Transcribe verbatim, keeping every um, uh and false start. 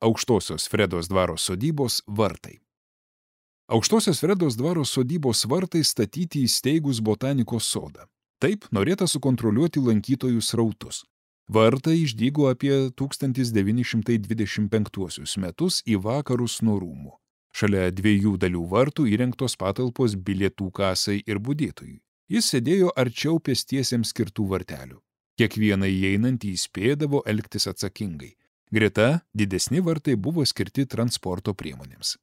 Aukštosios Fredos dvaro sodybos vartai. Aukštosios Fredos dvaro sodybos vartai statyti įsteigus botanikos sodą. Taip norėta sukontroliuoti lankytojų srautus. Vartai išdygo apie tūkstantis devyni šimtai dvidešimt penktuosius metus į vakarus nuo rūmų. Šalia dviejų dalių vartų įrengtos patalpos bilietų kasai ir budėtojui. Jis sėdėjo arčiau pėstiesiems skirtų vartelių. Kiekvieną įeinantį įspėdavo elgtis atsakingai. Greta didesni vartai buvo skirti transporto priemonėms.